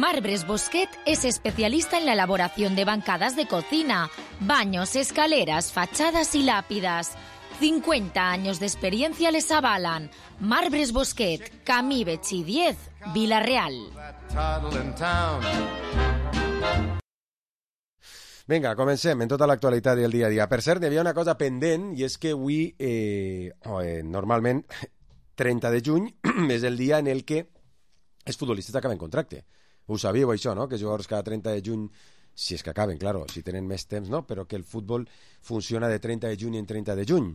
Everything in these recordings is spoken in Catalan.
Marbres Bosquet es especialista en la elaboración de bancadas de cocina, baños, escaleras, fachadas y lápidas. 50 años de experiencia les avalan. Marbres Bosquet, Camí Betxí 10, Vila-real. Vinga, comencem en tota l'actualitat del dia a dia. Per cert, hi havia una cosa pendent, i és que avui, normalment, 30 de juny, és el dia en el que els futbolistes acaben contracte. Ho sabíeu, això, no?, que jugadors cada 30 de juny, si és que acaben, claro, si tenen més temps, no?, però que el futbol funciona de 30 de juny en 30 de juny.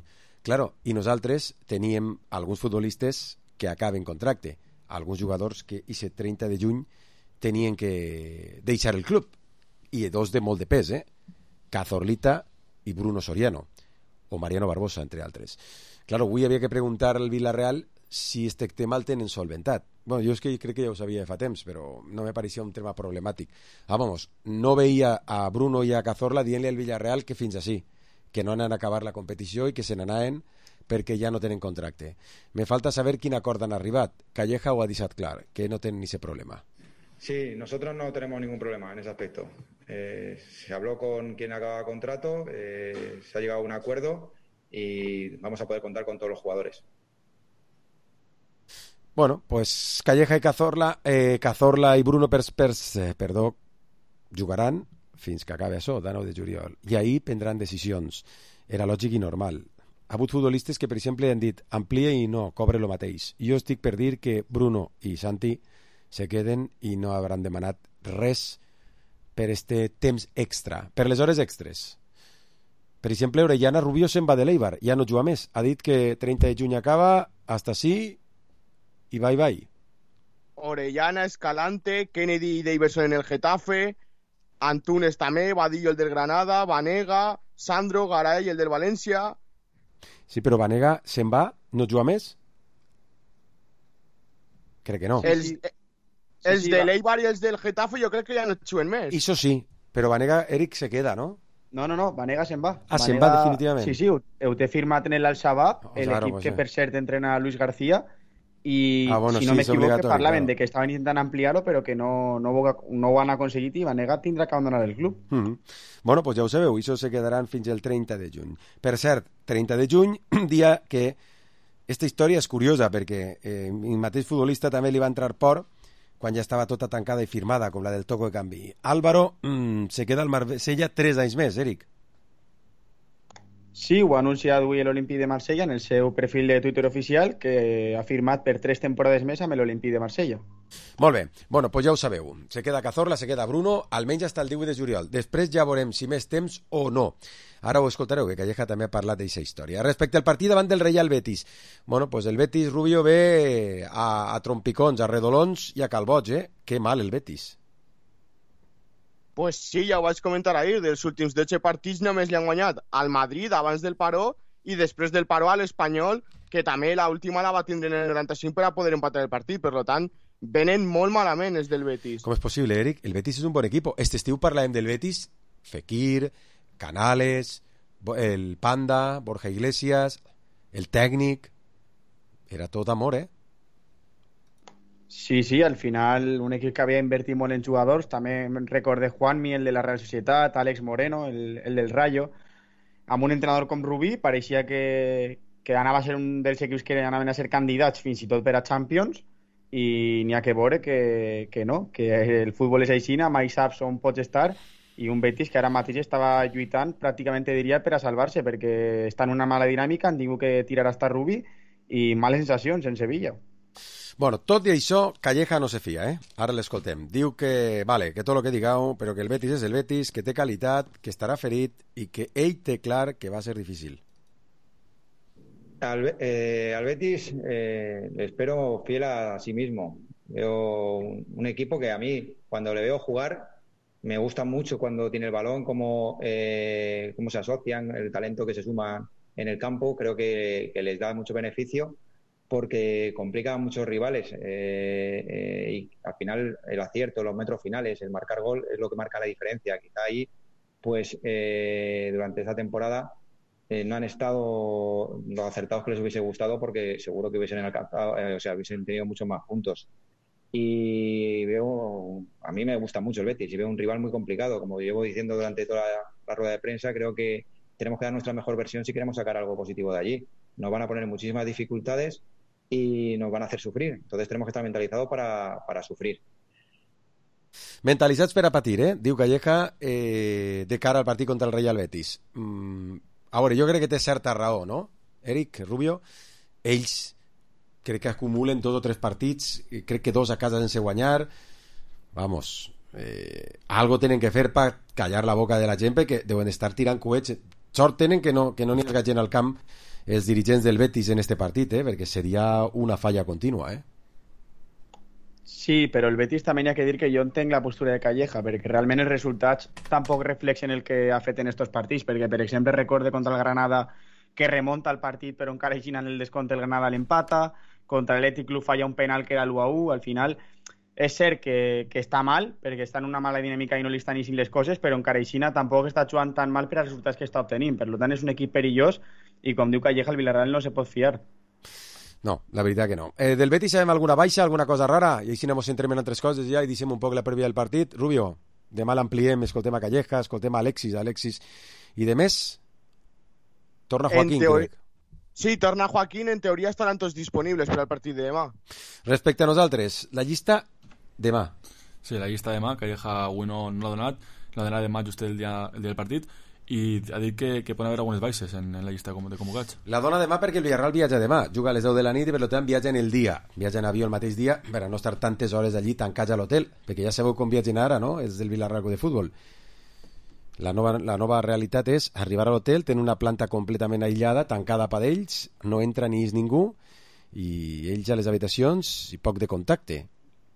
Claro, i nosaltres teníem alguns futbolistes que acaben contracte, alguns jugadors que aquest 30 de juny tenien que deixar el club, i dos de molt de pes, Cazorlita i Bruno Soriano, o Mariano Barbosa, entre altres. Claro, avui havia que preguntar al Vila-real si este tema el tenen solventat. Bueno, jo és que crec que ja ho sabia de fa temps, però no me pareixia un tema problemàtic. Vamos, no veia a Bruno i a Cazorla dient-li al Villarreal que fins així, que no anen a acabar la competició i que se n'anaven perquè ja no tenen contracte. Me falta saber quin acord han arribat. Calleja ho ha deixat clar, que no tenen ese problema. Sí, nosotros no tenemos ningún problema en ese aspecto. Se habló con quien acaba contrato, se ha llegado a un acuerdo y vamos a poder contar con todos los jugadores. Bueno, pues Calleja i Cazorla i Bruno jugaran fins que acabi això, de 9 de juliol. I ahir prendran decisions. Era lògic i normal. Ha hagut futbolistes que, per exemple, han dit amplia i no, cobre el mateix. Jo estic per dir que Bruno i Santi se queden i no hauran demanat res per este temps extra, per les hores extres. Per exemple, Orellana Rubio se'n va de l'Eibar, ja no juga més. Ha dit que 30 de juny acaba, hasta sí, i bye. Orellana, Escalante, Kennedy y Davidson en el Getafe, Antunes també, Vadillo el del Granada, Vanega, Sandro, Garay el del València. Sí, però Vanega se'n va, no juga més? Crec que no. Els de l'Eibar i els del Getafe jo crec que ja no juguen més. Això sí, però Vanega, Eric, se queda, no? No, Vanega se'n va. Ah, se'n va definitivament. Sí, ho té firmat en l'Al-Shabaab, l'equip que per cert entrena Luis García, i si no m'equivoco parlaven de que estaven intentant ampliar-ho però que no ho han aconseguit i Vanega tindrà que abandonar el club. Bueno, pues ja ho sabeu, això se quedaran fins el 30 de juny. Per cert, 30 de juny, dia que esta història és curiosa perquè el mateix futbolista també li va entrar por quan ja estava tota tancada i firmada, com la del Toco de Canvi. Álvaro se queda al Marsella 3 anys més, Eric. Sí, ho ha anunciat avui l'Olímpic de Marsella en el seu perfil de Twitter oficial, que ha firmat per 3 temporades més amb l'Olímpic de Marsella. Molt bé, bueno, pues ja ho sabeu. Se queda Cazorla, se queda Bruno, almenys fins al 18 de juliol. Després ja veurem si més temps o no. Ara ho escoltareu, que Calleja també ha parlat d'aquesta història. Respecte al partit davant del Real Betis, bueno, pues el Betis Rubio ve a trompicons, a redolons i a calbots, Que mal el Betis. Pues sí, ja ho vaig comentar ahir, dels últims 12 partits només li han guanyat al Madrid abans del paró i després del paró a l'Espanyol, que també l'última la va tindre en el 95 per a poder empatar el partit, per tant, venen molt malament els del Betis. Com és possible, Eric? El Betis és un bon equip. Este estiu parlàvem del Betis, Fekir, Canales, el Panda, Borja Iglesias, el tècnic... Era tot amor, Sí, al final un equip que havia invertit molt en jugadors, també recordé Juanmi, el de la Real Societat, Àlex Moreno, el del Rayo, amb un entrenador com Rubí, pareixia que anava a ser un dels equips que anaven a ser candidats fins i tot per a Champions, i n'hi ha que veure que no, que el futbol és així, mai saps on pots estar, i un Betis que ara mateix estava lluitant pràcticament, diria, per a salvar-se, perquè està en una mala dinàmica, han tingut que tirar hasta Rubí, i males sensacions en Sevilla. Bueno, tot i això, Calleja no se fia, Ara l'escoltem. Diu que, vale, que tot el que digueu, però que el Betis és el Betis, que té qualitat, que estarà ferit i que ell té clar que va ser difícil. Al Betis le espero fiel a sí mismo. Veo un equipo que a mí, cuando le veo jugar, me gusta mucho cuando tiene el balón, cómo se asocian, el talento que se suma en el campo. Creo que les da mucho beneficio, porque complica a muchos rivales y al final el acierto, los metros finales, el marcar gol es lo que marca la diferencia. Quizá ahí, pues durante esta temporada no han estado los acertados que les hubiese gustado, porque seguro que hubiesen alcanzado, hubiesen tenido muchos más puntos. y a mí me gusta mucho el Betis y veo un rival muy complicado. Como llevo diciendo durante toda la rueda de prensa, creo que tenemos que dar nuestra mejor versión si queremos sacar algo positivo de allí. Nos van a poner muchísimas dificultades y nos van a hacer sufrir. Entonces tenemos que estar mentalizados para sufrir. Mentalitzats per a patir, diu Calleja, de cara al partit contra el Real Betis. A veure, jo crec que té certa raó, no? Eric, Rubio, ells crec que acumulen 2 o 3 partits, crec que 2 a casa sense guanyar. Vamos, algo tenen que fer per callar la boca de la gent, perquè deuen estar tirant coets. Sort tenen que no n'hi ha gent al camp els dirigents del Betis en este partit, perquè seria una falla contínua, Sí, però el Betis també hi ha que dir que jo entenc la postura de Calleja, perquè realment els resultats tampoc reflexen el que ha fet en estos partits, perquè, per exemple, recorde contra el Granada que remonta el partit però encara així en el descompte el Granada l'empata, contra l'Atlètic Club falla un penal que era l'1-1, al final és cert que està mal, perquè està en una mala dinàmica i no li estan eixint les coses, però encara així tampoc està jugant tan mal per als resultats que està obtenint, per tant és un equip perillós i com diu Calleja el Villarreal no se pot fiar. No, la veritat que no. Del Betis sabem alguna baixa, alguna cosa rara? I així ens centrem en altres coses ja i deixem un poc la prèvia del partit. Rubio, demà l'ampliem, escoltem a Calleja, escoltem a Alexis i de més torna Joaquín, crec. Sí, torna Joaquín, en teoria estaran tots disponibles per al partit de demà. Respecte a nosaltres, la llista demà. Sí, la llista demà, Calleja avui no l'ha donat, la donarà demà just el dia del partit, i ha dit que poden haver algunes baixes en la llista de convocats. La dona demà perquè el Villarreal viatja demà, juga a les 10 de la nit i per tant viatja en el dia, viatja en avió el mateix dia per a no estar tantes hores allí tancats a l'hotel, perquè ja sabeu com viatgen ara, no? És del Villarreal de futbol. La nova realitat és arribar a l'hotel, tenir una planta completament aïllada, tancada per ells, no entra ni és ningú, i ells a les habitacions i poc de contacte.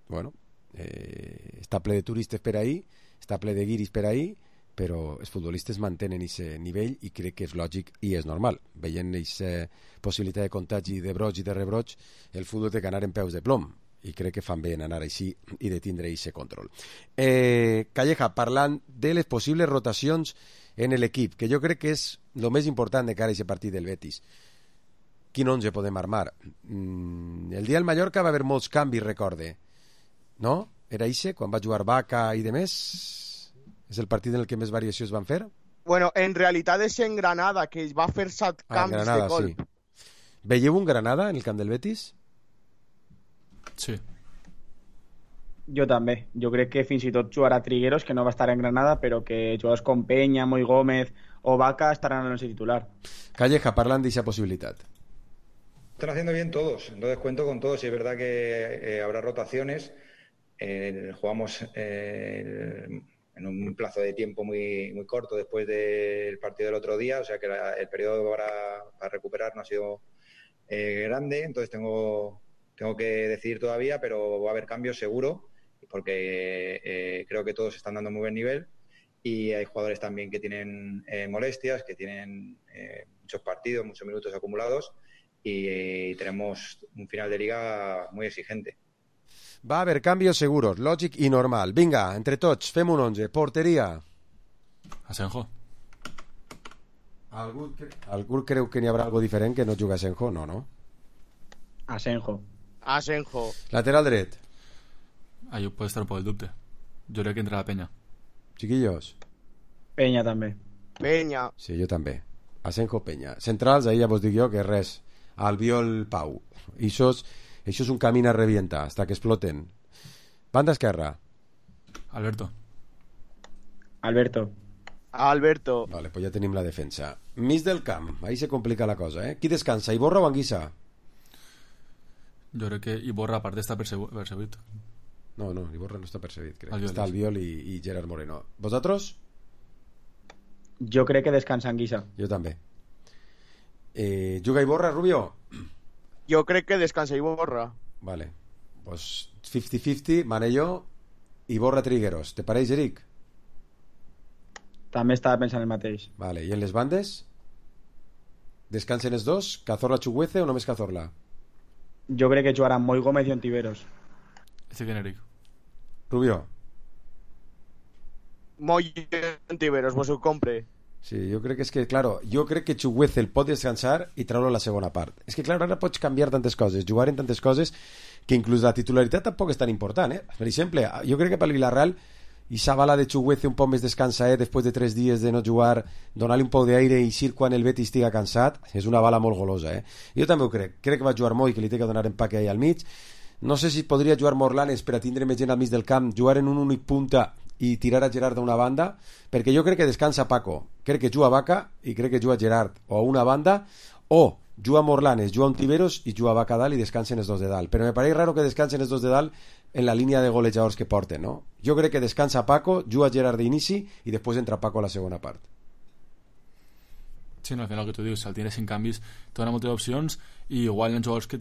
Bueno, està ple de turistes per ahí, està ple de guiris per ahí, però els futbolistes mantenen aquest nivell i crec que és lògic i és normal. Veient aquesta possibilitat de contagi de broig i de rebroig, el futbol té que anar en peus de plom i crec que fan bé en anar així i de tindre aquest control. Calleja, parlant de les possibles rotacions en l'equip, que jo crec que és el més important de cara a aquest partit del Betis. Quin 11 podem armar? El dia del Mallorca va haver molts canvis, recorde. No? Era ixe, quan va jugar Vaca i de més? És el partit en el que més variacions van fer? Bueno, en realitat és en Granada, que va fer 7 canvis Granada, de colp. sí. Veieu un Granada en el camp del Betis? Sí. Jo també. Jo crec que fins i tot jugarà Trigueros, que no va estar en Granada, però que jugadors com Peña, Moy Gómez o Vaca estaran en el once titular. Calleja, parlant d'aquesta possibilitat. Están haciendo bien todos, entonces cuento con todos y es verdad que habrá rotaciones. Jugamos en un plazo de tiempo muy corto después del partido del otro día, o sea que el periodo para recuperar no ha sido grande, entonces tengo que decidir todavía, pero va a haber cambios seguro, porque creo que todos están dando muy buen nivel y hay jugadores también que tienen molestias, que tienen muchos partidos, muchos minutos acumulados y tenemos un final de liga muy exigente. Va haver canvis seguros, lògic i normal. Vinga, entre tots, fem un 11. Porteria. Asenjo. Algú creu que n'hi haurà algo diferent que no juga Asenjo? No. Asenjo. Lateral dret. Ahí puede estar un poc el dubte. Jo crec que entra la Peña. Chiquillos. Peña també. Peña. Sí, jo també. Asenjo, Peña. Centrals, ahí ja vos dic jo que res. Albiol, Pau. Això és un camí a revientar, hasta que exploten. Banda esquerra. Alberto. Vale, pues ja tenim la defensa. Mig del camp, ahí se complica la cosa, Qui descansa, Iborra o Anguissa? Jo crec que Iborra, a part d'estar percebit. No, Iborra no està percebit, crec. Albiol. Està Albiol i Gerard Moreno. ¿Vosotros? Jo crec que descansa Anguissa. Jo també. Juga Iborra, Rubio? Jo crec que descansa Iborra. Vale, pues 50-50, Manello, Iborra, Trigueros. ¿Te pareix, Eric? També estava pensant el mateix. Vale, i en les bandes? Descansen els dos? Cazorla, Chuguece o només Cazorla? Jo crec que jugaran Moy Gómez i Ontiveros. Este que Eric. Rubio? Moy Ontiveros, vos ho compre. Sí, jo crec que és que, claro, jo crec que Chuguece el pot descansar i treure la segona part. És que, claro, ara pots canviar tantes coses, jugar en tantes coses, que inclús la titularitat tampoc és tan important, Per exemple, jo crec que pel Villarreal i sa bala de Chuguece un poc més descansaet després de 3 dies de no jugar, donar-li un poc d'aire i eixir quan el Betis estiga cansat, és una bala molt golosa, Jo també ho crec que va jugar molt i que li té que donar empaque ahí al mig. No sé si podria jugar Morlanes per a tindre més gent al mig del camp, jugar en un únic punta i tirar a Gerard d'una banda, perquè jo crec que descansa Paco, crec que juga Vaca i crec que juga Gerard o a una banda, o juga Morlanes, juga Ontiveros i juga Vaca dalt i descansen els dos de dalt, però me pareix raro que descansen els dos de dalt en la línia de golejadors que porten, no? Jo crec que descansa Paco, juga Gerard d'inici i després entra Paco a la segona part. Sí, no, al final el que tu dius, si el tienes sin canvis te dona moltes opcions i igual hi ha jugadors que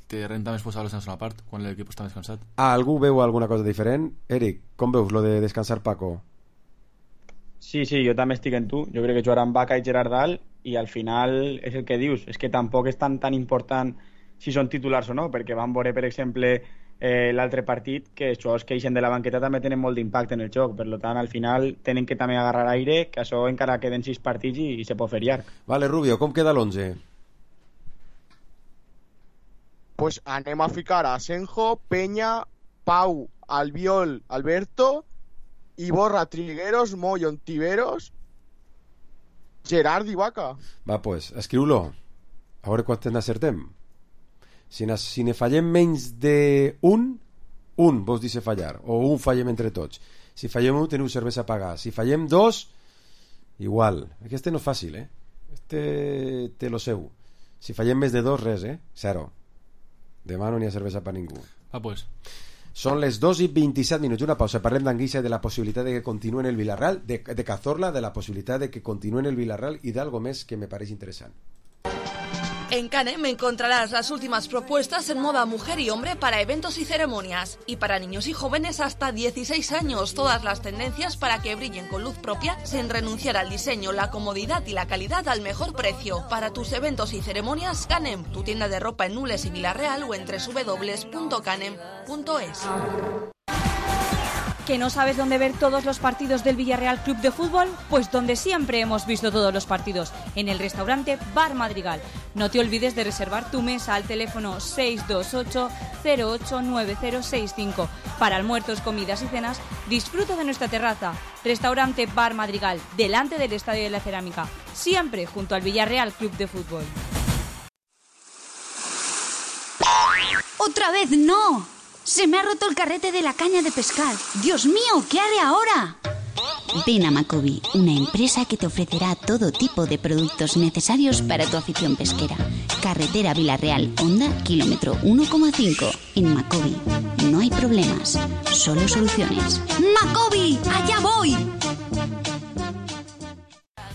te renta més posar-los en la segona part quan l'equip està descansat. Algú veu alguna cosa diferent? Eric, com veus lo de descansar Paco? Sí, jo també estic en tu. Jo crec que jugaran Vaca i Gerard dalt i al final és el que dius, és que tampoc és tan important si són titulars o no, perquè van veure, per exemple, l'altre partit que els jugadors que eixen de la banqueta també tenen molt d'impacte en el joc, per tant al final tenen que també agarrar aire, que això encara queden 6 partits i se pot fer llarg. Vale, Rubio, com queda l'11? Pues anem a ficar a Senjo, Peña, Pau, Albiol, Alberto, Iborra, Trigueros, Moyo, Ontiveros, Gerard i Vaca. Va, pues, escriu-lo. A veure quants n'acertem. Si ne fallem menys d'un, vos dice fallar, o un fallem entre tots. Si fallem un, teniu cervesa a pagar. Si fallem 2, igual. Este no és fàcil, Este té lo seu. Si fallem més de 2, res, 0. Demà no n'hi ha cervesa per ningú. Pues. Són les 2:27, una pausa. Parlem d'Anguissa i de la possibilitat de que continuï en el Villarreal, de Cazorla, de la possibilitat de que continuï en el Villarreal y de algo més que me parece interesant. En Canem encontrarás las últimas propuestas en moda mujer y hombre para eventos y ceremonias. Y para niños y jóvenes hasta 16 años, todas las tendencias para que brillen con luz propia sin renunciar al diseño, la comodidad y la calidad al mejor precio. Para tus eventos y ceremonias, Canem, tu tienda de ropa en Nules y Villarreal o en www.canem.es. ¿Que no sabes dónde ver todos los partidos del Villarreal Club de Fútbol? Pues donde siempre hemos visto todos los partidos, en el restaurante Bar Madrigal. No te olvides de reservar tu mesa al teléfono 628-089065. Para almuerzos, comidas y cenas, disfruta de nuestra terraza. Restaurante Bar Madrigal, delante del Estadio de la Cerámica, siempre junto al Villarreal Club de Fútbol. ¡Otra vez no! ¡Se me ha roto el carrete de la caña de pescar! ¡Dios mío! ¿Qué haré ahora? Ven a Macobi, una empresa que te ofrecerá todo tipo de productos necesarios para tu afición pesquera. Carretera Villarreal, Honda, kilómetro 1,5. En Macobi no hay problemas, solo soluciones. ¡Macobi! ¡Allá voy!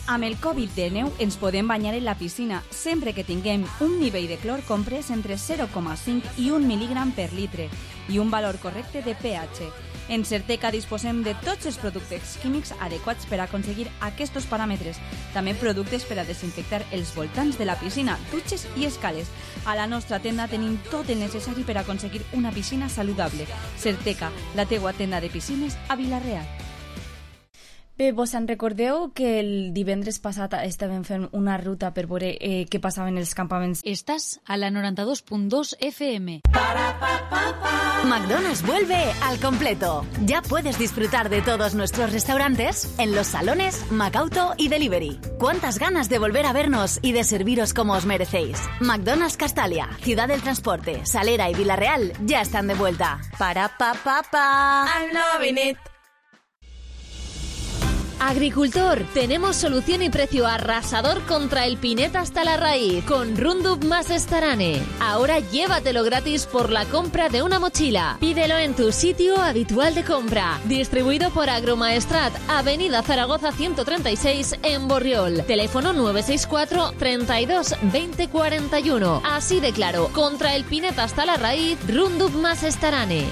Amb el Covid-19 ens podem banyar en la piscina sempre que tinguem un nivell de clor comprès entre 0,5 i 1 mil·lígram per litre i un valor correcte de pH. En Certeca disposem de tots els productes químics adequats per aconseguir aquests paràmetres. També productes per a desinfectar els voltants de la piscina, dutxes i escales. A la nostra tenda tenim tot el necessari per aconseguir una piscina saludable. Certeca, la teua tenda de piscines a Vila-real. Bé, vos en recordeu que el divendres passat estàvem fent una ruta per veure què passava en els campaments? Estás a la 92.2 FM. McDonald's vuelve al completo. Ya puedes disfrutar de todos nuestros restaurantes en los salones, Macauto y Delivery. ¿Cuántas ganas de volver a vernos y de serviros como os merecéis? McDonald's Castalia, Ciudad del Transporte, Salera y Villarreal ya están de vuelta. I'm loving it. Agricultor, tenemos solución y precio arrasador contra el pineta hasta la raíz con Roundup más Starane. Ahora llévatelo gratis por la compra de una mochila. Pídelo en tu sitio habitual de compra. Distribuido por Agromaestrat, Avenida Zaragoza 136 en Borriol. Teléfono 964 32 20 41. Así de claro, contra el pineta hasta la raíz, Roundup más Starane.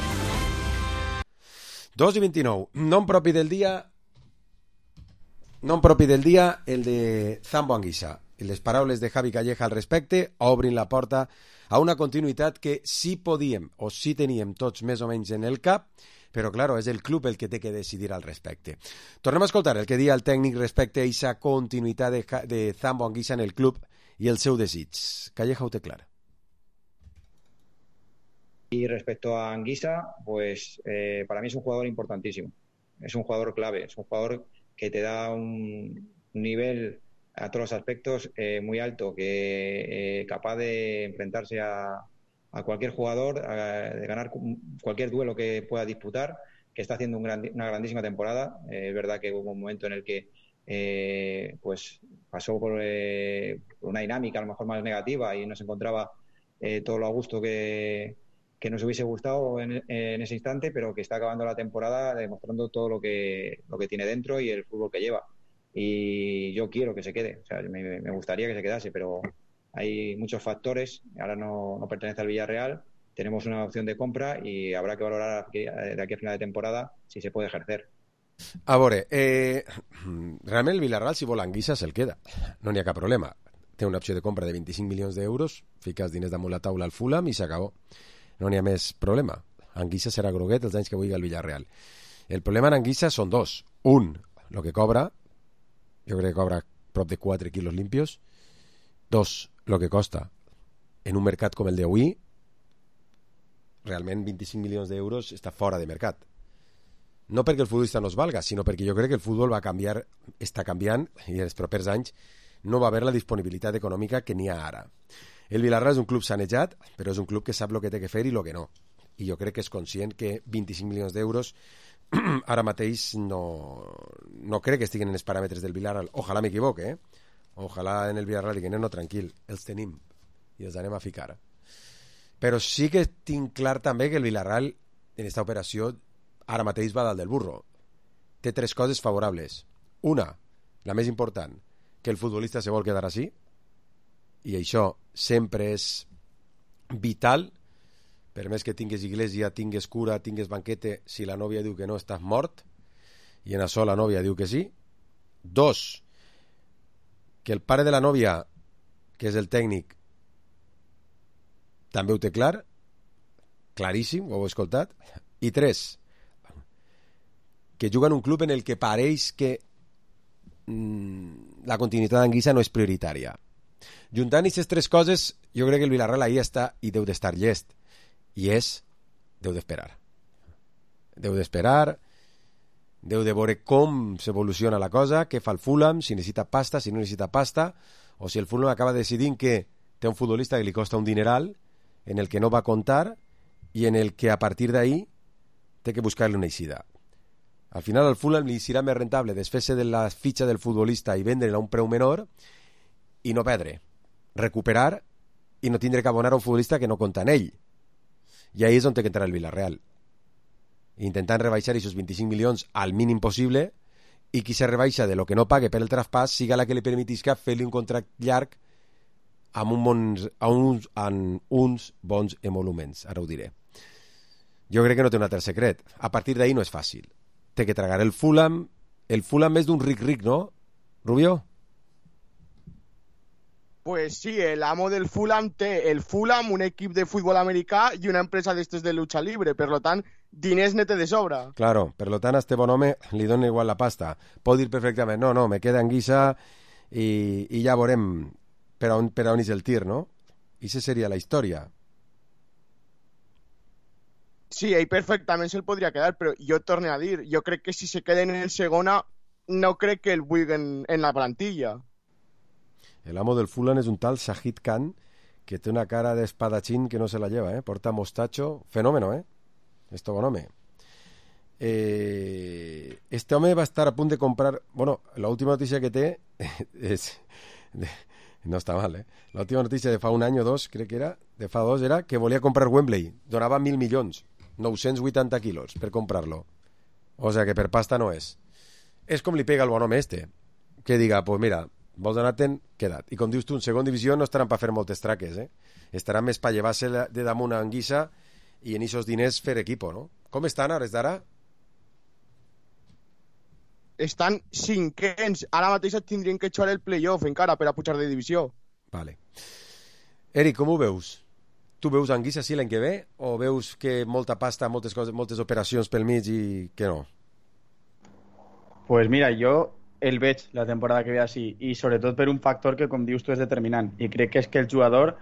2:29. Nom propi del dia... Nom propi del dia, el de Zambo Anguissa. I les paraules de Javi Calleja al respecte obrin la porta a una continuïtat que sí podíem o sí teníem tots més o menys en el cap, però, claro, és el club el que té que decidir al respecte. Tornem a escoltar el que dia el tècnic respecte a aquesta continuïtat de Zambo Anguissa en el club i el seu desig. Calleja ho té clar. Y respecto a Anguissa, pues para mí es un jugador importantísimo. Es un jugador clave, es un jugador que te da un nivel a todos los aspectos muy alto, que capaz de enfrentarse a cualquier jugador, de ganar cualquier duelo que pueda disputar, que está haciendo una grandísima temporada. Es verdad que hubo un momento en el que pues pasó por una dinámica a lo mejor más negativa y no se encontraba todo lo a gusto que nos hubiese gustado en ese instante, pero que está acabando la temporada demostrando todo lo que tiene dentro y el fútbol que lleva. Y yo quiero que se quede, o sea, me gustaría que se quedase, pero hay muchos factores. Ahora no pertenece al Villarreal, tenemos una opción de compra y habrá que valorar de aquí a final de temporada si se puede ejercer. A veure, realment el Villarreal, si vol Anguissa, se'l queda. No n'hi ha cap problema. Té una opció de compra de 25 milions d'euros, fiques diners damunt la taula al Fulham i s'acabó. No n'hi ha més problema. Anguissa serà groguet els anys que vulgui al Villarreal. El problema en Anguissa són dos. Un, el que cobra. Jo crec que cobra prop de 4 quilos limpios. Dos, el que costa. En un mercat com el d'avui, realment 25 milions d'euros està fora de mercat. No perquè el futbolista no es valga, sinó perquè jo crec que el futbol va canviar, està canviant, i en els propers anys no va haver la disponibilitat econòmica que n'hi ha ara. El Villarreal és un club sanejat, però és un club que sap el que té que fer i el que no. I jo crec que és conscient que 25 milions d'euros ara mateix no crec que estiguin en els paràmetres del Villarreal. Ojalà m'equivoque, Ojalà en el Villarreal diguin, no, tranquil, els tenim i els anem a ficar. Però sí que tinc clar també que el Villarreal en aquesta operació ara mateix va dalt del burro. Té 3 coses favorables. Una, la més important, que el futbolista se vol quedar així, i això sempre és vital. Per més que tingues iglesia, tingues cura, tingues banquete, si la nòvia diu que no, estàs mort, i en això la nòvia diu que sí. 2, que el pare de la nòvia, que és el tècnic, també ho té clar, claríssim, ho heu escoltat. I 3, que juga en un club en el que pareix que la continuïtat d'Anguissa no és prioritària. Juntant aquestes 3 coses, jo crec que el Villarreal ahí està i deu d'estar llest. I deu d'esperar. Deu d'esperar, deu de veure com s'evoluciona la cosa, què fa el Fulham, si necessita pasta, si no necessita pasta, o si el Fulham acaba decidint que té un futbolista que li costa un dineral, en el que no va comptar i en el que a partir d'ahí té que buscar-li una eixida. Al final al Fulham li serà més rentable desfer-se de la fitxa del futbolista i vendre-la a un preu menor i no perdre, recuperar i no tindre que abonar a un futbolista que no compta en ell. I ahí és on té que entrar el Villarreal, intentant rebaixar aquests 25 milions al mínim possible, i qui se rebaixa de lo que no pague per el traspàs siga la que li permetisca fer-li un contracte llarg amb uns bons emoluments. Ara ho diré. Jo crec que no té un altre secret. A partir d'ahí no és fàcil. Té que tragar el Fulham. El Fulham és d'un ric, ¿no, Rubio? Pues sí, el amo del Fulham té el Fulham, un equip de futbol americà i una empresa d'estes de lucha libre. Per lo tant, diners ne té de sobra. Claro, per lo tant, a este bon home li dona igual la pasta. Pot dir perfectament, no, me queda Anguissa i ja veurem per on és el tir, no? I aquesta seria la història. Sí, ell perfectament se'l podria quedar, però jo torno a dir, jo crec que si se queden en segona, no crec que el vulguin en la plantilla. El amo del Fulham és un tal Shahid Khan, que té una cara d'espadachín que no se la lleva, porta mostacho, fenómeno, esto bon home. Este home va estar a punt de comprar, bueno, la última notícia que té no està mal, la última notícia de fa un any o dos, crec que era, de fa 2, era que volia comprar Wembley, donava 1.000 milions, 980 quilos per comprar-lo, o sea que per pasta no és. És com li pega el bon home que diga, pues mira, vols anar-te'n, queda't. I com dius tu, en segona divisió no estaran per fer moltes traques, estaran més per llevar-se de damunt a Anguissa i en aquests diners fer equipo, no? Com estan ara, d'ara? Estan cinquens. Ara mateix et tindrien que jugar el playoff encara per a pujar de divisió. Vale. Eric, com ho veus? Tu veus Anguissa sí l'any que ve o veus que molta pasta, moltes coses, moltes operacions pel mig i que no? Pues mira, jo el veig la temporada que ve així i sobretot per un factor que, com dius tu, és determinant i crec que és que el jugador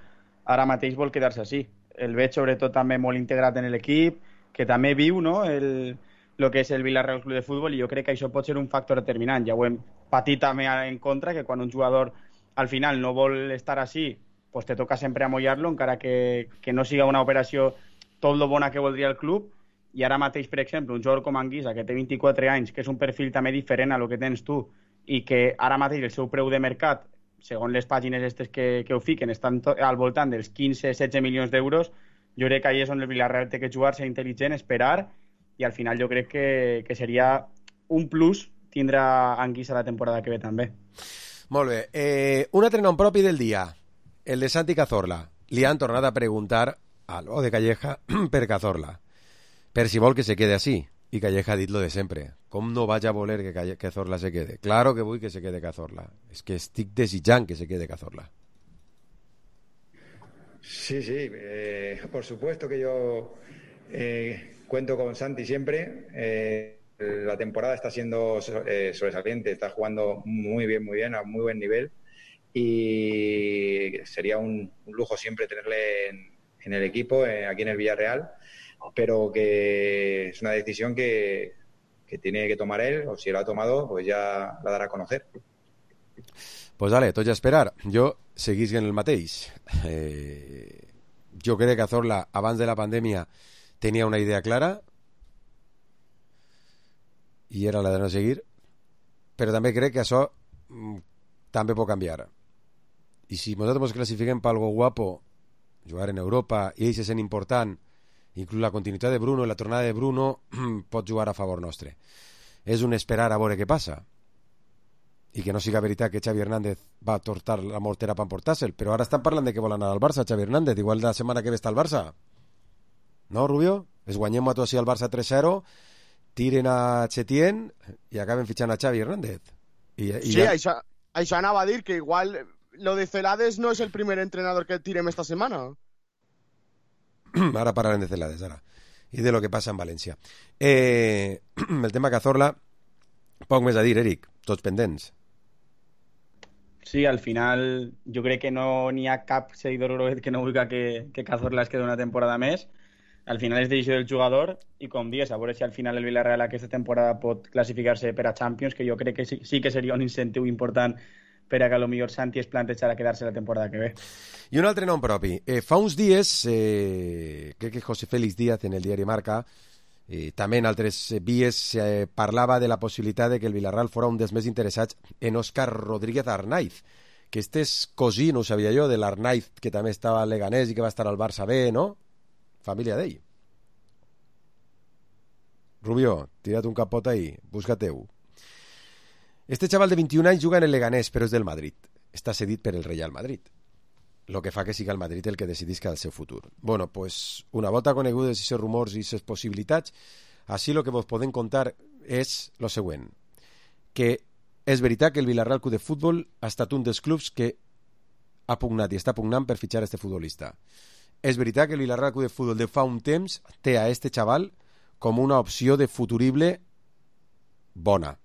ara mateix vol quedar-se així. el veig sobretot també molt integrat en l'equip, que també viu, no?, el que és el Villarreal Club de Futbol, i jo crec que això pot ser un factor determinant. Ja ho hem patit també en contra, que quan un jugador al final no vol estar així, pues te toca sempre amollar-lo, encara que no siga una operació tot lo bona que voldria el club. I ara mateix, per exemple, un jugador com Anguissa, que té 24 anys, que és un perfil també diferent a lo que tens tu, i que ara mateix el seu preu de mercat, segons les pàgines estes que ho fiquen, estan al voltant dels 15-16 milions d'euros, jo crec que ahí és on el Villarreal té que jugar, ser intel·ligent, esperar, i al final jo crec que seria un plus tindre Anguissa la temporada que ve també. Molt bé. Un altre nom propi del dia, el de Santi Cazorla. Li han tornat a preguntar a lo de Calleja per Cazorla, per si vol que se quede así. I Calleja ha dit lo de sempre. Com no vaig a voler que Cazorla se quede? Claro que vull que se quede Cazorla. És que estic desitjant que se quede Cazorla. Sí, por supuesto que yo cuento con Santi siempre. La temporada está siendo sobresaliente, está jugando muy bien, a muy buen nivel, y sería un lujo siempre tenerle en el equipo, aquí en el Villarreal, pero que es una decisión que tiene que tomar él, o si lo ha tomado, pues ya la dará a conocer. Pues dale, tots a esperar. Jo seguís en el mateix. Jo crec que Cazorla, abans de la pandèmia, tenia una idea clara, i era la de no seguir, però també crec que això també pot canviar. I si nosaltres ens classifiquem per algo guapo, jugar en Europa, i ell se sent important, inclús la continuïtat de Bruno i la tornada de Bruno pot jugar a favor nostre. És un esperar a veure què passa, i que no siga veritat que Xavi Hernández va tortar la mortera per emportar-se'l, però ara estan parlant de que vol anar al Barça, Xavi Hernández, igual la setmana que ve està al Barça. No, Rubio? Es guanyem a tu així al Barça 3-0, tiren a Chetién i acaben fitxant a Xavi Hernández. Sí, ja... això anava a dir, que igual lo de Celades no és el primer entrenador que tirem esta setmana. Ara parlarem de Celades, ara. I de lo que passa en València. El tema Cazorla, poc més a dir, Eric, tots pendents. Sí, al final jo crec que no n'hi ha cap seguidor groguet que no vulgui que Cazorla es quedi una temporada més. Al final és decisió del jugador, i com dius, a veure si al final el Villarreal aquesta temporada pot classificar-se per a Champions, que jo crec que sí que seria un incentiu important per a que potser Santi es plantejara quedar-se la temporada que ve. I un altre nom propi. Fa uns dies, crec que José Félix Díaz en el diari Marca, també en altres vies, parlava de la possibilitat de que el Villarreal fora un dels més interessats en Óscar Rodríguez Arnaiz, que este és cosí, no ho sabia jo, de l'Arnaiz, que també estava al Leganés i que va estar al Barça B, no? Família d'ell. Rubio, tira't un capot ahí, busca-teu. Este xaval de 21 anys juga en el Leganés, però és del Madrid. Està cedit per el Real Madrid. Lo que fa que siga el Madrid el que decidisca el seu futur. Bueno, pues, una volta conegudes aquests rumors i aquestes possibilitats, així lo que vos podem contar és lo següent, que és veritat que el Villarreal Club de Futbol ha estat un dels clubs que ha pugnat i està pugnant per fitxar este futbolista. És veritat que el Villarreal Club de Futbol de fa un temps té a este xaval com una opció de futurible bona.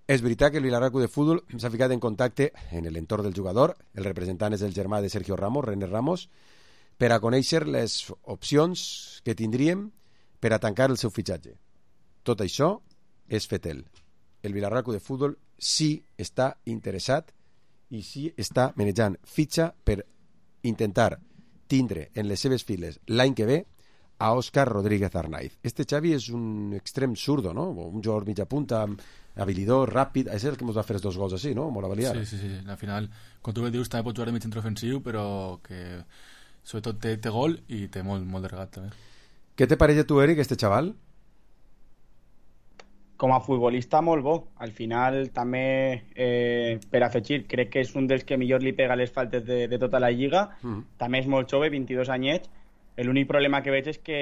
És veritat que el Villarreal Club de Futbol s'ha ficat en contacte en l'entorn del jugador, el representant és el germà de Sergio Ramos, René Ramos, per a conèixer les opcions que tindríem per a tancar el seu fitxatge. Tot això és fetel. El Villarreal Club de Futbol sí està interessat i sí està manejant fitxa per intentar tindre en les seves files l'any que ve a Óscar Rodríguez Arnaiz. Este Xavi és un extrem zurdo, no? Un jugador mitja punta, habilidor, ràpid, és el que ens va fer els dos gols així, no? Molt avaliar. Sí. Al final, com tu dius, també pot jugar de mig centre ofensiu, però que sobretot té gol i té molt de regat també. Què te pareix a tu, Eric, este xaval? Com a futbolista molt bo. Al final també per afegir, crec que és un dels que millor li pega les faltes de tota la lliga. També és molt jove, 22 anyets. L'únic problema que veig és que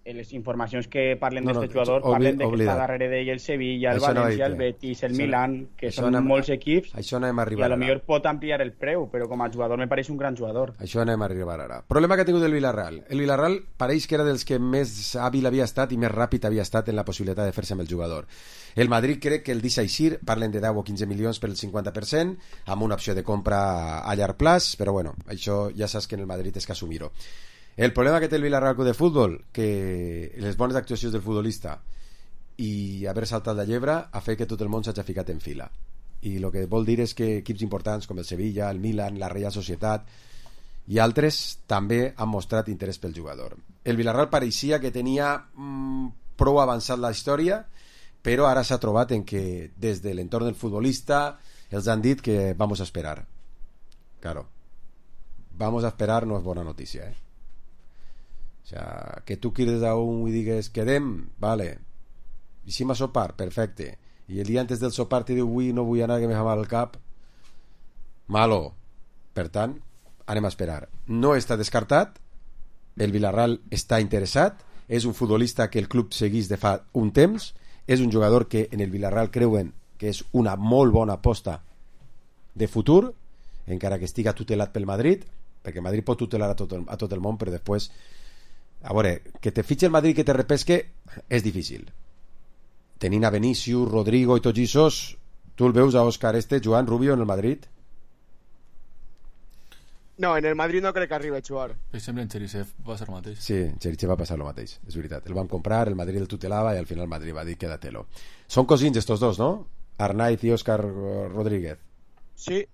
les informacions que parlen d'aquest jugador parlen de que està darrere d'ell el Sevilla, el València, el Betis, el Milan, que són molts equips, i a lo millor pot ampliar el preu, però com a jugador me pareix un gran jugador. Això anem a arribar ara. Problema que ha tingut el Villarreal. El Villarreal pareix que era dels que més hàbil havia estat i més ràpid havia estat en la possibilitat de fer-se amb el jugador. El Madrid crec que el deixa eixir, parlen de 10 o 15 milions per el 50%, amb una opció de compra a llarg plaç, però bueno, això ja saps que en el Madrid és que assumir-ho. El problema que té el Villarreal Club de Futbol, que les bones actuacions del futbolista i haver saltat la llebre ha fet que tot el món s'hagi ficat en fila. I el que vol dir és que equips importants com el Sevilla, el Milan, la Real Societat i altres també han mostrat interès pel jugador. El Villarreal pareixia que tenia prou avançat la història, però ara s'ha trobat en que des de l'entorn del futbolista els han dit que vamos a esperar. Claro, vamos a esperar no és bona notícia, O sea, que tu crides a un i digues quedem, vale, hicim a sopar, perfecte, i el dia antes del sopar te diu avui no vull anar que me fa mal el cap, malo. Per tant, anem a esperar. No està descartat, el Villarreal està interessat, és un futbolista que el club seguís de fa un temps, és un jugador que en el Villarreal creuen que és una molt bona aposta de futur, encara que estiga tutelat pel Madrid, perquè Madrid pot tutelar a tot el món, però després a veure, que te fitxi el Madrid que te repesque és difícil. Tenint a Vinicius, Rodrigo i tots aquests, tu el veus a Òscar Joan Rubio en el Madrid? No, en el Madrid no crec que arribi a jugar. Sembla en Cherisev va passar el mateix. Sí, en Cherisev va passar el mateix, és veritat. El van comprar, el Madrid el tutelava i al final el Madrid va dir quédatelo. Són cosins estos dos, no? Arnaiz i Òscar Rodríguez. Sí.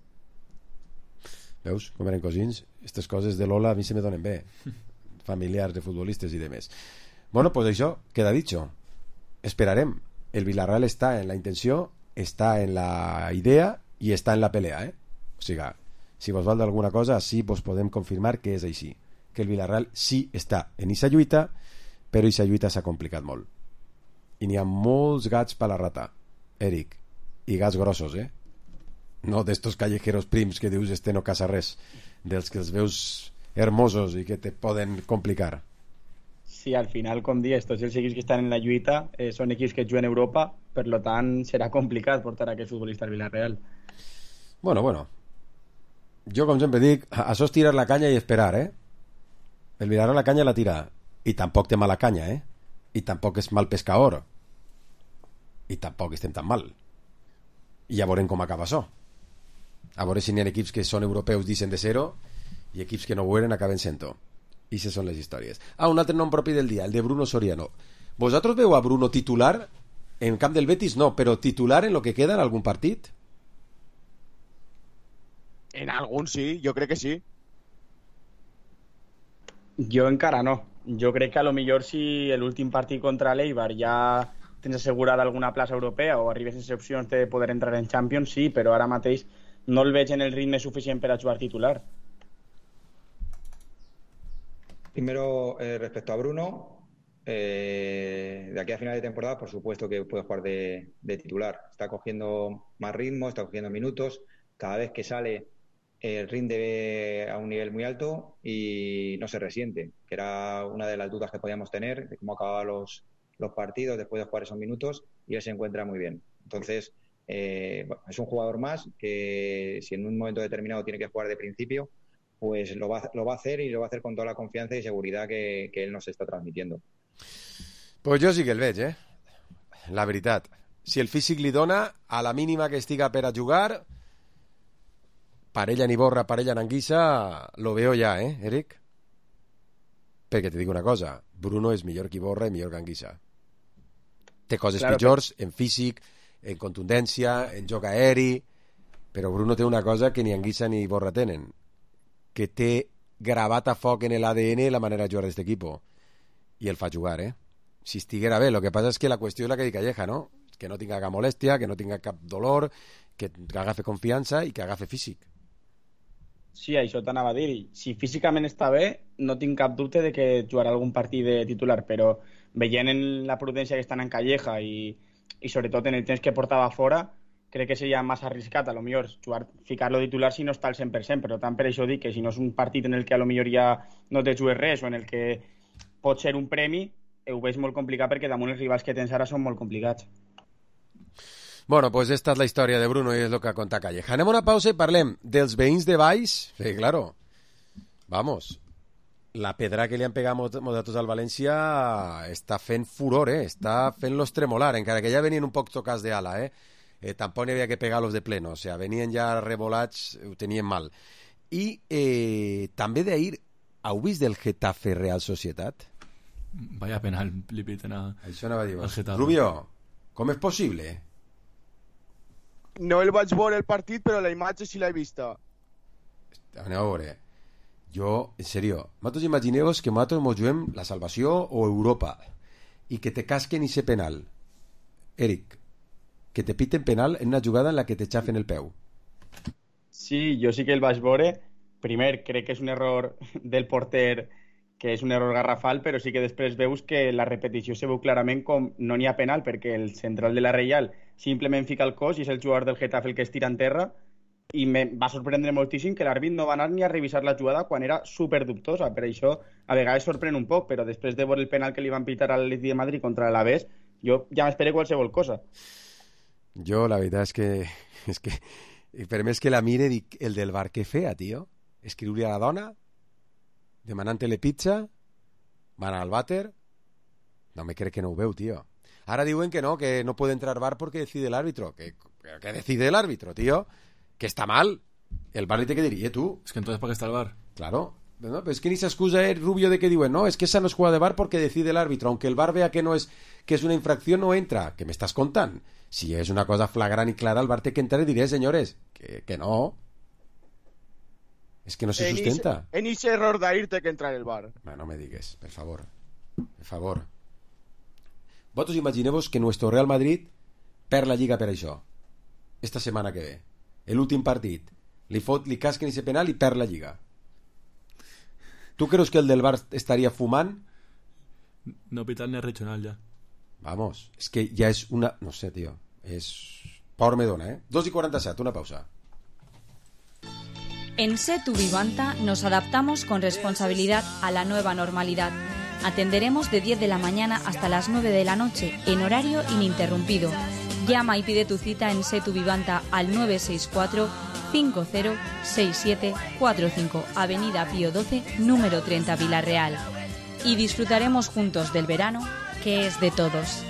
Veus com eren cosins? Aquestes coses de Lola a mi se me donen bé. Familiars de futbolistes i demés. Bueno, pues això, queda dicho. Esperarem. El Villarreal està en la intenció, està en la idea i està en la pelea, O sigui, si vos val d'alguna cosa, sí vos podem confirmar que és així. Que el Villarreal sí està en aquesta lluita, però aquesta lluita s'ha complicat molt. I n'hi ha molts gats per la rata, Eric. I gats grossos, No d'estos callejeros prims que dius no casa res. Dels que els veus hermosos i que te poden complicar. Sí, al final, com dius, tots els equips que estan en la lluita són equips que juguen a Europa, per lo tant serà complicat portar aquest futbolista al Villarreal. Bueno. Jo, com sempre dic, això és tirar la canya i esperar, El Villarreal la canya la tira. I tampoc té mala canya, I tampoc és mal pescador. I tampoc estem tan mal. I ja veurem com acaba això. A veure si n'hi ha equips que són europeus dicen de zero i equips que no ho eren acaben sent-ho. I aquestes són les històries. Un altre nom propi del dia, el de Bruno Soriano. ¿Vosotros veu a Bruno titular en camp del Betis? No, però titular en lo que queda en algun partit? En algun sí, jo crec que sí. Jo encara no. Jo crec que a lo millor si l'últim partit contra l'Eibar ja tens assegurada alguna plaça europea o arribes sense opcions de poder entrar en Champions, sí, però ara mateix no el veig en el ritme suficient per a jugar titular. Primero, respecto a Bruno, de aquí a final de temporada, por supuesto que puede jugar de titular. Está cogiendo más ritmo, está cogiendo minutos. Cada vez que sale, rinde a un nivel muy alto y no se resiente, que era una de las dudas que podíamos tener, de cómo acababan los partidos después de jugar esos minutos, y él se encuentra muy bien. Entonces, es un jugador más que si en un momento determinado tiene que jugar de principio, pues lo va a hacer y lo va a hacer con toda la confianza y seguridad que él nos está transmitiendo. Pues jo sí que el veig, la veritat. Si el físic li dona, a la mínima que estiga per a jugar, parella ni borra, parella n'anguissa, lo veo ja, Eric? Perquè te dic una cosa, Bruno és millor que Iborra i millor que Anguissa. Té coses pitjors en físic, en contundència, en joc aeri, però Bruno té una cosa que ni Anguissa ni Iborra tenen, que té gravat a foc en l'ADN la manera de jugar d'aquest equip, i el fa jugar, Si estiguera bé, el que passa és que la qüestió és la que dic Calleja, no? Que no tinga cap molèstia, que no tinga cap dolor, que agafi confiança i que agafi físic. Sí, això t'anava a dir. Si físicament està bé, no tinc cap dubte de que jugarà algun partit de titular, però veient en la prudència que estan en Calleja i sobretot en el temps que portava fora, crec que seria massa arriscat, a lo millor ficar-lo titular si no està al 100%, però tant per això dic que si no és un partit en el que a lo millor ja no te jugues res o en el que pot ser un premi, ho veig molt complicat perquè damunt els rivals que tens ara són molt complicats. Bueno, pues esta es la història de Bruno i és el que conta Calleja. Anem a una pausa i parlem dels veïns de Valls. Sí, claro. Vamos. La pedra que li han pegat nosaltres al València està fent furor, està fent-los tremolar, encara que ja venien un poc tocats d'ala, tampoc n'hi havia que pegar-los de pleno, o sea, venien ja revolats, ho tenien mal. I també d'ahir heu vist el Getafe Real Societat? Vaya penal li piten Això anava a dir. al Getafe. Rubio, com és possible? No el vaig veure el partit, però la imatge sí l'he vista. Aneu a veure. Jo, en serio, vosaltres imagineu-vos que nosaltres mos juguem la salvació o Europa i que te casquen i ser penal. Eric, que te piten penal en una jugada en la que te xafen el peu. Sí, jo sí que el vaig veure. Primer, crec que és un error del porter, que és un error garrafal, però sí que després veus que la repetició se veu clarament com no n'hi ha penal, perquè el central de la Reial simplement fica el cos i és el jugador del Getafe el que es tira en terra, i me va sorprendre moltíssim que l'àrbit no va anar ni a revisar la jugada quan era super dubtosa. Per això a vegades sorprèn un poc, però després de veure el penal que li van pitar a l'Atlètic de Madrid contra l'Alavés, jo ja m'esperé qualsevol cosa. Jo la veritat és que per més que la mire dic, el del bar què feia, tio? Escriure a la dona demanant-li pizza, van al vàter, no me crec que no ho veu, tio. Ara diuen que no puede entrar bar porque decide el árbitro. ¿Qué decide el árbitro, tío? Que está mal. El bar li té que dir, tú? Es que entonces ¿para qué está el bar? Claro. No, pero es que ni se excusa el Rubio de que diuen, no, es que esa no es jugada de bar porque decide el árbitro. Aunque el bar vea que que es una infracción, no entra. ¿Qué me estás contando? Si es una cosa flagrant y clara, el bar té que entrar y diré, señores, que no. Es que no se sustenta. En ese error d'ahir té que entrar el bar. No me digues, per favor. Per favor. Vosaltres imagineu-vos que nuestro Real Madrid perd la Lliga per això. Esta setmana que ve. L'últim partit. Li casquen ese penal i perd la Lliga. ¿Tú creus que el del Bar estaría fumant? No pitar ni regional ya. Vamos, es que ya es una... No sé, tío. Es... Por me dona, 2:47, una pausa. En Setu Vivanta nos adaptamos con responsabilidad a la nueva normalidad. Atenderemos de 10 de la mañana hasta las 9 de la noche, en horario ininterrumpido. Llama y pide tu cita en Setu Vivanta al 964-506745, Avenida Pío XII, número 30, Vila-real. Y disfrutaremos juntos del verano, que es de todos.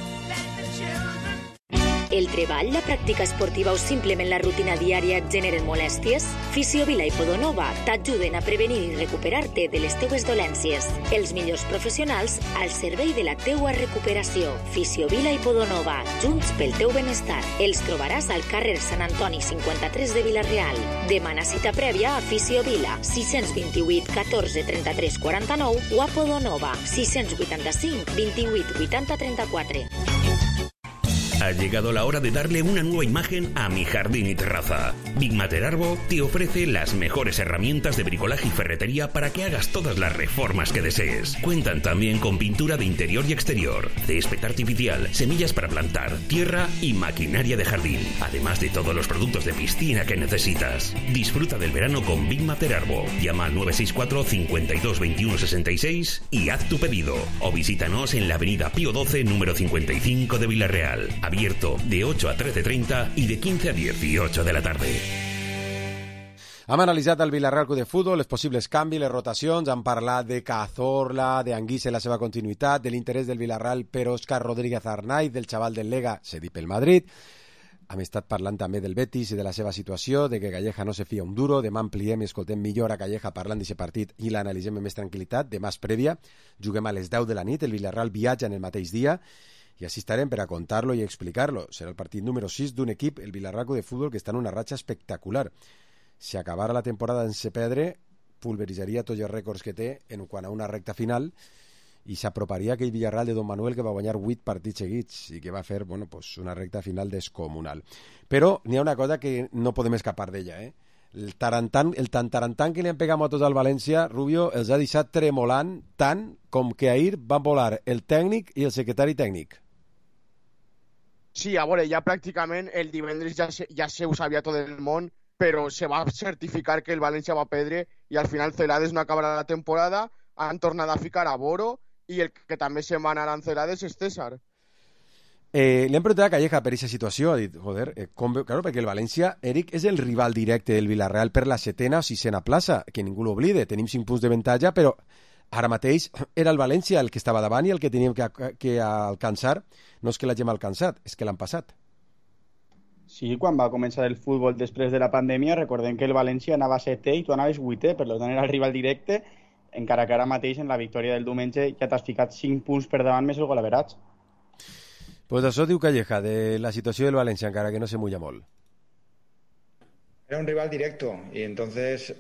El treball, la pràctica esportiva o simplement la rutina diària et generen molèsties? Fisiovila i Podonova t'ajuden a prevenir i recuperar-te de les teues dolències. Els millors professionals al servei de la teua recuperació. Fisiovila i Podonova, junts pel teu benestar. Els trobaràs al carrer Sant Antoni 53 de Vila-real. Demana cita prèvia a Fisiovila 628 14 33 49 o a Podonova 685 28 80 34. Ha llegado la hora de darle una nueva imagen a mi jardín y terraza. Big Matter Arbo te ofrece las mejores herramientas de bricolaje y ferretería para que hagas todas las reformas que desees. Cuentan también con pintura de interior y exterior, césped artificial, semillas para plantar, tierra y maquinaria de jardín, además de todos los productos de piscina que necesitas. Disfruta del verano con Big Matter Arbo. Llama al 964 52 21 66 y haz tu pedido. O visítanos en la avenida Pío XII, número 55 de Vila-real. Abierto de 8 a 13:30 y de 15 a 18 de la tarde. Hem analitzat el Villarreal Club de Futbol, els possibles canvis, les rotacions, hem parlat de Cazorla, d'Anguissa i la seva continuïtat, de l'interès del Villarreal per Òscar Rodríguez Arnaiz, del xaval del Lega, cedit pel Madrid. Hem estat parlant també del Betis i de la seva situació, de que Calleja no se fia un duro. Demà ampliem i escoltem millor a Calleja parlant d'aquest partit i l'analitzem amb més tranquil·litat. Demà és prèvia, juguem a les 10 de la nit, el Villarreal viatja en el mateix dia, i així estarem per a contar-lo i explicar-lo. Serà el partit número 6 d'un equip, el Villarreal Club de Futbol, que està en una ratxa espectacular. Si acabara la temporada sense perdre, pulveritzaria tots els rècords que té en quant a una recta final i s'aproparia aquell Villarreal de Don Manuel que va guanyar 8 partits seguits i que va fer una recta final descomunal. Però n'hi ha una cosa que no podem escapar d'ella, El tantarantan que li han pegat a tots al València, Rubio, els ha deixat tremolant tant com que ahir van volar el tècnic i el secretari tècnic. Sí, a veure, ja pràcticament el divendres ja se ho sabia tot el món, però se va certificar que el València va perdre i al final Celades no acabarà la temporada, han tornat a ficar a Boro i el que també se'n va anar a Celades és César. Li hem preguntat a Calleja per aquesta situació, ha dit, claro, perquè el València, Eric, és el rival directe del Villarreal per la 7ª o 6ª plaça, que ningú l'oblide, tenim 5 punts de avantatge, però ara mateix era el València el que estava davant i el que teníem que alcançar. No és que l'hagem alcançat, és que l'han passat. Sí, quan va començar el futbol després de la pandèmia, recordem que el València anava 7è i tu anaves 8è, per tant era el rival directe, encara que ara mateix en la victòria del diumenge ja t'has ficat 5 punts per davant més el golaveratge. Pues això diu Calleja de la situació del València, encara que no se mulla molt. Era un rival directo y entonces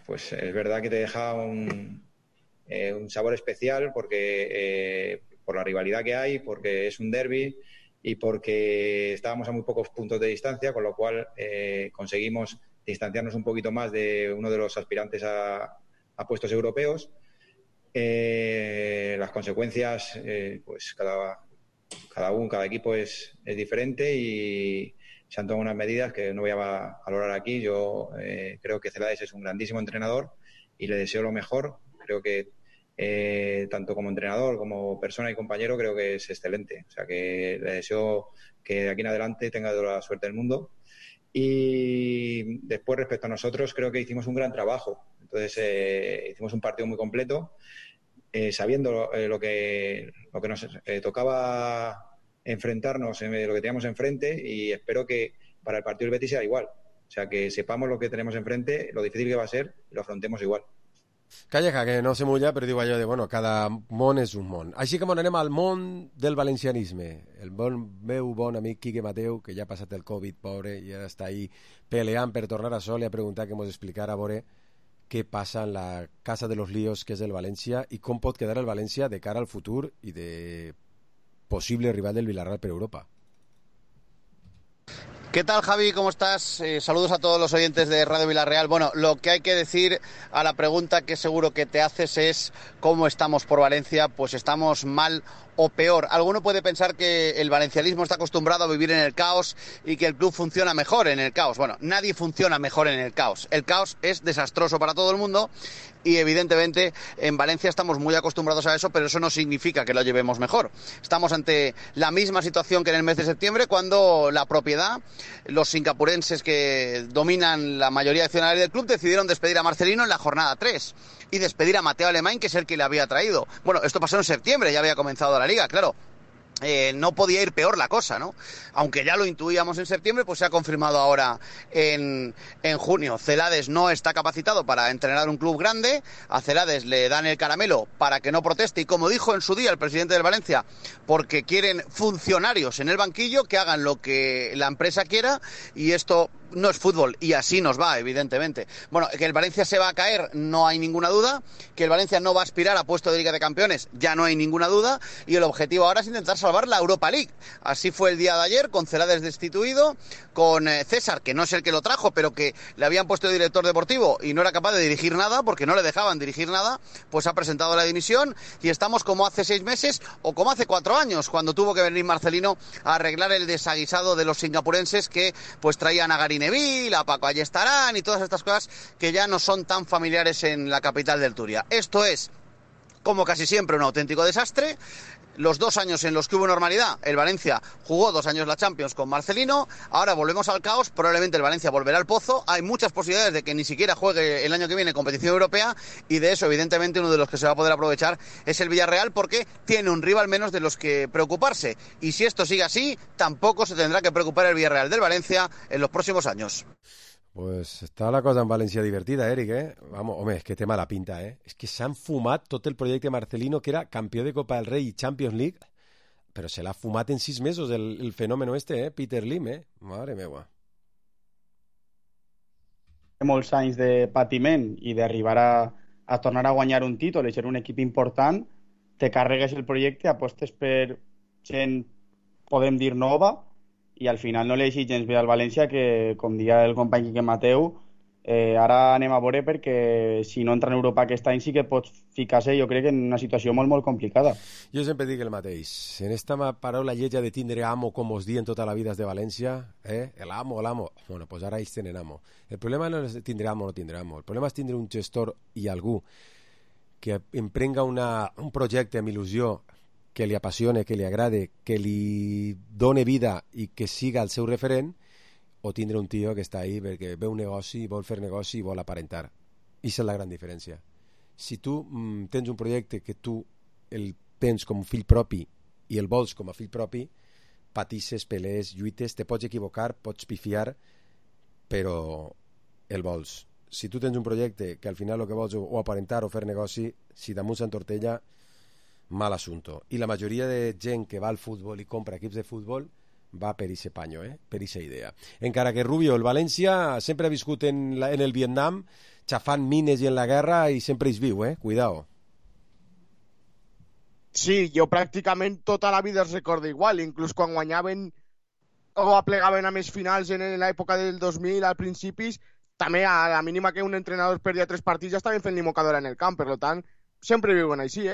pues es verdad que te deja un sabor especial porque por la rivalidad que hay, porque es un derbi y porque estábamos a muy pocos puntos de distancia, con lo cual conseguimos distanciarnos un poquito más de uno de los aspirantes a puestos europeos. Las consecuencias, pues cada equipo es diferente y se han tomado unas medidas que no voy a valorar aquí. Yo creo que Celades es un grandísimo entrenador y le deseo lo mejor. Creo que tanto como entrenador, como persona y compañero, creo que es excelente. O sea, que le deseo que de aquí en adelante tenga toda la suerte del mundo. Y después, respecto a nosotros, creo que hicimos un gran trabajo. Entonces, hicimos un partido muy completo, sabiendo lo que nos tocaba enfrentarnos, lo que teníamos enfrente, y espero que para el partido del Betis sea igual. O sea, que sepamos lo que tenemos enfrente, lo difícil que va a ser, y lo afrontemos igual. Calleja, que no se mulla, però diu allò de, bueno, cada món és un món. Així que anem al món del valencianisme. El meu bon amic Quique Mateu, que ja ha passat el Covid, pobre, i ara està ahí peleant per tornar a sol, i ha preguntat que ens explicara, a veure, què passa en la casa de los líos, que és el València, i com pot quedar el València de cara al futur i de posible rival del Villarreal per Europa. ¿Qué tal, Javi? ¿Cómo estás? Saludos a todos los oyentes de Radio Villarreal. Bueno, lo que hay que decir a la pregunta que seguro que te haces es ¿cómo estamos por Valencia? Pues estamos mal o peor. Alguno puede pensar que el valencianismo está acostumbrado a vivir en el caos y que el club funciona mejor en el caos. Bueno, nadie funciona mejor en el caos. El caos es desastroso para todo el mundo y evidentemente en Valencia estamos muy acostumbrados a eso, pero eso no significa que lo llevemos mejor. Estamos ante la misma situación que en el mes de septiembre, cuando la propiedad, los singapurenses que dominan la mayoría de accionarios del club, decidieron despedir a Marcelino en la jornada 3 y despedir a Mateo Alemany, que es el que le había traído. Bueno, esto pasó en septiembre, ya había comenzado la liga, claro. No podía ir peor la cosa, ¿no? Aunque ya lo intuíamos en septiembre, pues se ha confirmado ahora en junio. Celades no está capacitado para entrenar un club grande. A Celades le dan el caramelo para que no proteste y, como dijo en su día el presidente del Valencia, porque quieren funcionarios en el banquillo que hagan lo que la empresa quiera, y esto no es fútbol, y así nos va, evidentemente. Bueno, que el Valencia se va a caer, no hay ninguna duda. Que el Valencia no va a aspirar a puesto de Liga de Campeones, ya no hay ninguna duda. Y el objetivo ahora es intentar salvar la Europa League. Así fue el día de ayer, con Celades destituido, con César, que no es el que lo trajo, pero que le habían puesto de director deportivo y no era capaz de dirigir nada, porque no le dejaban dirigir nada, pues ha presentado la dimisión, y estamos como hace 6 meses o como hace 4 años, cuando tuvo que venir Marcelino a arreglar el desaguisado de los singapurenses que pues traían a Gary Neville, a Paco Ayestarán y todas estas cosas que ya no son tan familiares en la capital del Turia. Esto es, como casi siempre, un auténtico desastre. Los 2 años en los que hubo normalidad, el Valencia jugó 2 años la Champions con Marcelino. Ahora volvemos al caos, probablemente el Valencia volverá al pozo. Hay muchas posibilidades de que ni siquiera juegue el año que viene competición europea, y de eso evidentemente uno de los que se va a poder aprovechar es el Villarreal, porque tiene un rival menos de los que preocuparse, y si esto sigue así, tampoco se tendrá que preocupar el Villarreal del Valencia en los próximos años. Pues està la cosa en València divertida, Eric, eh? Vamos, home, és que té mala pinta, eh? És que s'han fumat tot el projecte Marcelino, que era campió de Copa del Rei i Champions League, però se l'ha fumat en 6 mesos el fenómeno este, eh? Peter Lim, eh? Mare meva. Molts anys de patiment i d'arribar a tornar a guanyar un títol i ser un equip important, te carregues el projecte, apostes per gent, podem dir, nova, i al final no li deixi gens bé al València, que, com dia el company Quique Mateu, ara anem a veure, perquè si no entra en Europa aquest any sí que pots ficar-se, jo crec, en una situació molt, molt complicada. Jo sempre dic el mateix. En esta paraula lletja de tindre amo, com us diuen tota la vida de València, el amo, l'amo, bueno, pues ara ells tenen amo. El problema no és tindre amo o no tindre amo. El problema és tindre un gestor i algú que emprenga un projecte amb il·lusió, que li apassione, que li agrade, que li done vida i que siga el seu referent, o tindre un tio que està ahí perquè veu un negoci, vol fer negoci i vol aparentar. I és la gran diferència. Si tu tens un projecte que tu el tens com fill propi i el vols com a fill propi, patisses, pelees, lluites, te pots equivocar, pots pifiar, però el vols. si tu tens un projecte que al final el que vols o aparentar o fer negoci, si damunt s'entortella, mal assunto. I la majoria de gent que va al futbol i compra equips de futbol va per ese panyo, per esa idea. Encara que Rubio, el València, sempre ha viscut en el Vietnam, xafant mines i en la guerra, i sempre és viu, cuidao. Sí, jo pràcticament tota la vida es recorda igual, inclús quan guanyaven o aplegaven a més finals en l'època del 2000 al principis, també a la mínima que un entrenador perdia 3 partits ja estaven fent limocadora en el camp, per tant, sempre viuen així,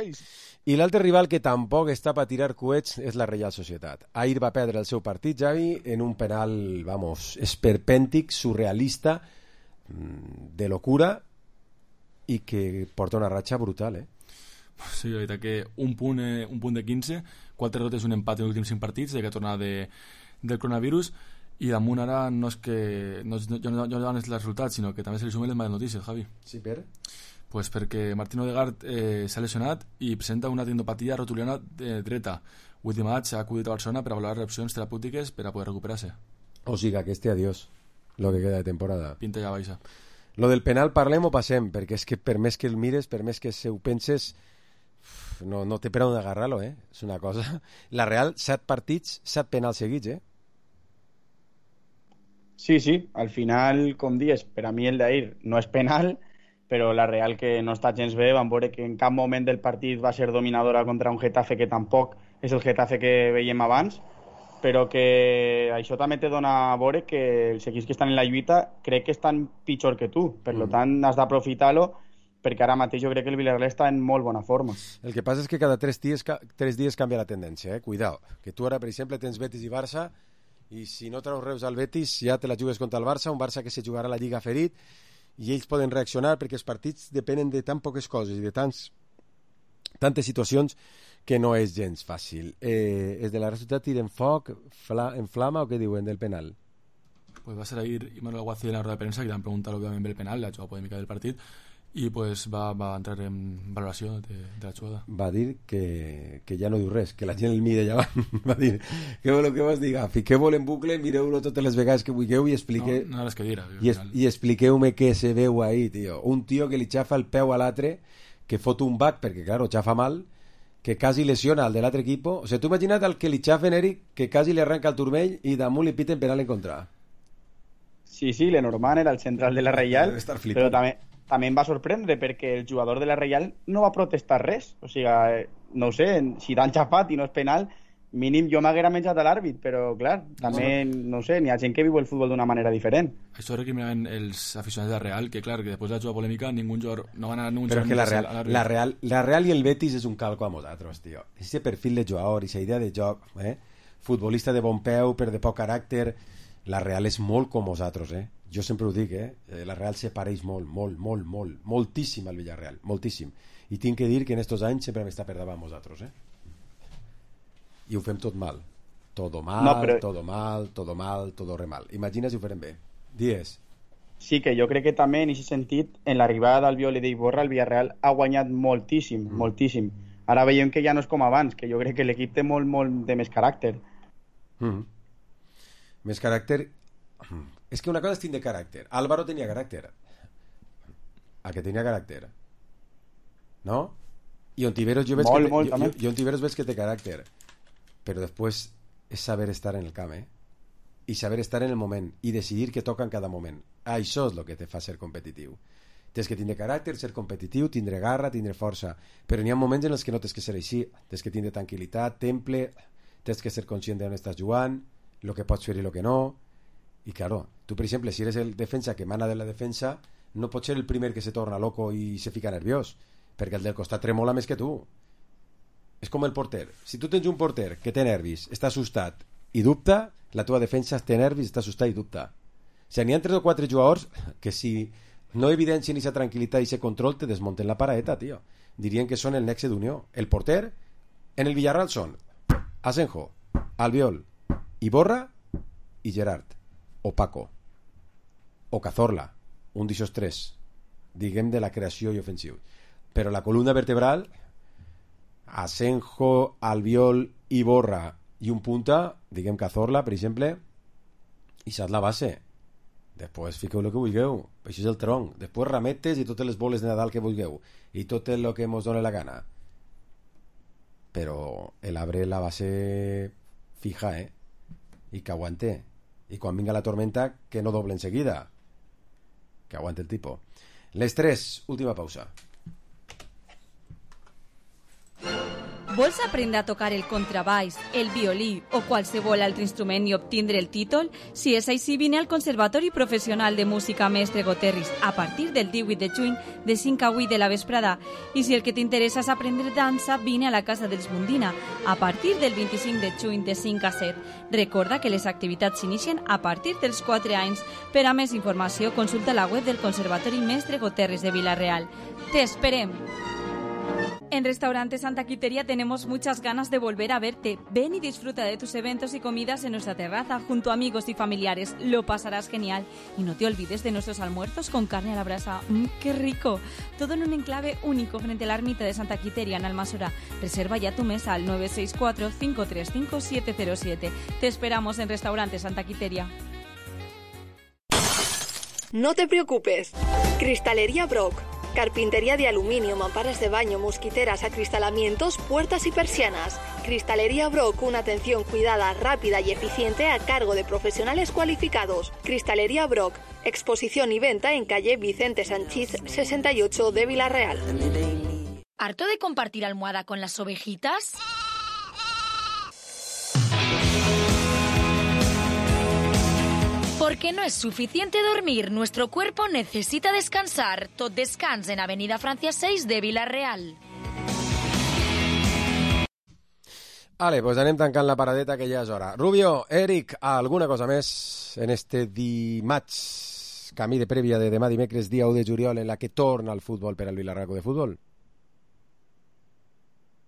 I l'altre rival que tampoc està per tirar coets és la Reial Societat. Ahir va perdre el seu partit, Javi, en un penal, vamos, esperpèntic, surrealista, de locura, i que porta una ratxa brutal, Sí, la veritat que un punt de 15, 4 derrotes i un empat en els últims 5 partits, de que torna del coronavirus, i damunt ara no és que no donen els resultats, sinó que també se li sumen les males notícies, Javi. Sí, per? Pues perquè Martín Odegaard s'ha lesionat i presenta una tendinopatia rotuliana dreta. Avui maig s'ha acudit a Barcelona per a valorar opcions terapèutiques per a poder recuperar-se. O sigui, que este adiós, lo que queda de temporada. Pinta ja baixa. Lo del penal parlem o passem, perquè és que per més que el mires, per més que ho penses, no té per on agarrar-lo, És una cosa... La Real, 7 partits, 7 penals seguits, Sí, al final, com dius, per a mi el d'ahir no és penal, però la Real, que no està gens bé, van veure que en cap moment del partit va ser dominadora contra un Getafe que tampoc és el Getafe que veiem abans, però que això també te dona a veure que els equips que estan en la lluita crec que estan pitjor que tu, per tant has d'aprofitar-lo, perquè ara mateix jo crec que el Villarreal està en molt bona forma. El que passa és que cada 3 dies canvia la tendència, Cuidao, que tu ara, per exemple, tens Betis i Barça, i si no treus Reus al Betis, ja te la jugues contra el Barça, un Barça que se jugarà la Lliga ferit, i ells poden reaccionar perquè els partits depenen de tan poques coses i de tantes situacions que no és gens fàcil. És de la resultat tiren foc, en flama, o què diuen del penal? Pues va ser ahir Manuel Aguacil en la rueda de premsa, que li han preguntat òbviament pel penal, la jugada polèmica del partit, i pues va entrar en valoració de la jugada. Va dir que ja no diu res, que la gent el mira allà va dir, què voleu que vos diga? Fiqueu-vos en bucle, mireu-lo totes les vegades que vulgueu i expliqueu... No res que dir. I expliqueu-me què se veu ahí, tio. Un tio que li xafa el peu a l'altre, que fot un back, perquè, claro, xafa mal, que quasi lesiona al de l'altre equipo. O sigui, tu imagina't el que li xafen, Eric, que quasi li arranca el turmell i damunt li piten penal en contra. Sí, Lenormand era el central de la Reial, però també em va sorprendre perquè el jugador de la Reial no va protestar res. O sigui, no ho sé, si t'han xafat i no és penal, mínim jo m'haguera menjat a l'àrbit, però clar, també, no sé, n'hi ha gent que viu el futbol d'una manera diferent. Això recriminaven els aficionats de la Real, que clar, que després de la jugada polèmica ningú jugador, no van anar ningú jugador... Però que la Real i el Betis és un calco a nosaltres, tio. Ese perfil de jugador, esa idea de joc, futbolista de bon peu, però de poc caràcter, la Real és molt com nosaltres, Jo sempre ho dic, la Real se pareix molt, moltíssim al Villarreal, moltíssim. I tinc que dir que en estos anys sempre m'està per davant nosaltres, I ho fem tot mal. Todo mal, todo re mal. Imagina si ho farem bé. Dies. Sí, que jo crec que també en aquest sentit, en l'arribada d'Albiol i d'Iborra, el Villarreal ha guanyat moltíssim. Ara veiem que ja no és com abans, que jo crec que l'equip té molt de més caràcter. Més caràcter... És que una cosa és tindre caràcter. Álvaro tenia caràcter. A que tenia caràcter. No? I Ontiveros jo veig que té caràcter. Però després és saber estar en el camp, I saber estar en el moment. I decidir què toca en cada moment. Això és el que te fa ser competitiu. Tens que tindre caràcter, ser competitiu, tindre garra, tindre força. Però n'hi ha moments en els que no tens que ser així. Tens que tindre tranquil·litat, temple, tens que ser conscient d'on estàs jugant, el que pots fer i el que no. I claro, tu per exemple, si eres el defensa que mana de la defensa, no pots ser el primer que se torna loco i se fica nerviós, perquè el del costat tremola més que tu. És com el porter. Si tu tens un porter que té nervis, està assustat i dubta, la teva defensa té nervis, està assustat i dubta. O sigui, n'hi ha 3 o 4 jugadors que si no evidencien aquesta tranquil·litat i aquest control te desmunten la paraeta, tio. Dirien que són el nexe d'unió. El porter en el Villarreal són Asenjo, Albiol, Iborra i Gerard, o Paco, o Cazorla, un d'aixòs 3, diguem de la creació i ofensiu. Però la columna vertebral, Asenjo, Albiol, Iborra i un punta, diguem Cazorla, per exemple, i això és la base. Després fiqueu el que vulgueu, això és el tronc. Després rametes i totes les boles de Nadal que vulgueu. I tot el que mos dóna la gana. Però l'arbre la base fija, I que aguante. I quan vinga la tormenta, que no doble enseguida. Que aguante el tipo. Les 3, última pausa. Vols aprendre a tocar el contrabaix, el violí o qualsevol altre instrument i obtindre el títol? Si és així, vine al Conservatori Professional de Música Mestre Goterris a partir del 18 de juny de 5 a 8 de la vesprada. I si el que t'interessa és aprendre dansa, vine a la Casa dels Mundina a partir del 25 de juny de 5 a 7. Recorda que les activitats s'inicien a partir dels 4 anys. Per a més informació, consulta la web del Conservatori Mestre Goterris de Vila-real. ¡Te esperem! En Restaurante Santa Quiteria tenemos muchas ganas de volver a verte. Ven y disfruta de tus eventos y comidas en nuestra terraza junto a amigos y familiares. Lo pasarás genial. Y no te olvides de nuestros almuerzos con carne a la brasa. ¡Qué rico! Todo en un enclave único frente a la ermita de Santa Quiteria en Almasora. Reserva ya tu mesa al 964-535-707. Te esperamos en Restaurante Santa Quiteria. No te preocupes. Cristalería Brock. Carpintería de aluminio, mamparas de baño, mosquiteras, acristalamientos, puertas y persianas. Cristalería Brock, una atención cuidada, rápida y eficiente a cargo de profesionales cualificados. Cristalería Brock, exposición y venta en calle Vicente Sanchís 68 de Vila-real. ¿Harto de compartir almohada con las ovejitas? Porque no es suficiente dormir, nuestro cuerpo necesita descansar. Tot descans en Avenida Francia 6 de Vila-real. Vale, pues anem tancant la paradeta que ja és hora. Rubio, Eric, alguna cosa més en este dimarts, camí de prèvia de demà dimecres, dia 1 de juliol, en la que torna el futbol per al Vila-real de Futbol?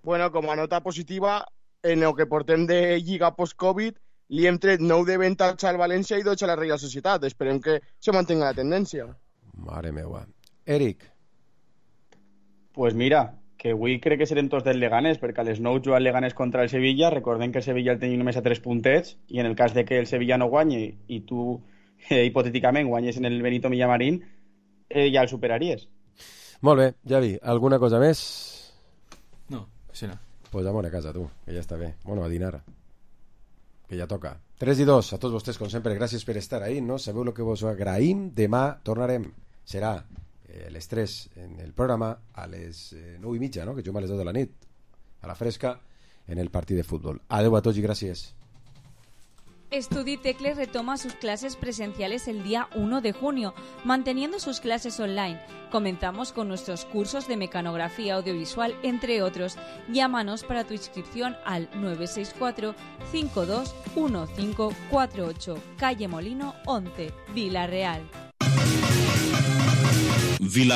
Bueno, com a nota positiva, en el que portem de Lliga post-Covid, li hem tret 9 de avantatge al València i 12 a la Reial Societat. Esperem que se mantenga la tendència. Mare meva. Eric. Pues mira, que avui crec que serem tots del Leganés, perquè a les 9 juga el Leganés contra el Sevilla. Recordem que el Sevilla el tenia només a 3 puntets, i en el cas de que el Sevilla no guanyi i tu, hipotèticament, guanyes en el Benito Villamarín, ja el superaries. Molt bé, Javi, alguna cosa més? No, sí no. Pues amor a casa, tu, que ja està bé. Bueno, a dinar, que ja toca. 3 i 2, a tots vostès, com sempre, gràcies per estar ahí, no? Sabeu el que vos agraïm. Demà tornarem. Serà les 3 en el programa, a les 9:30, no? Que juguem a les 2 de la nit, a la fresca, en el partit de futbol. Adeu a tots i gràcies. Estudi Tecles retoma sus clases presenciales el día 1 de junio, manteniendo sus clases online. Comenzamos con nuestros cursos de mecanografía audiovisual, entre otros. Llámanos para tu inscripción al 964-521548, calle Molino 11, Vila-real.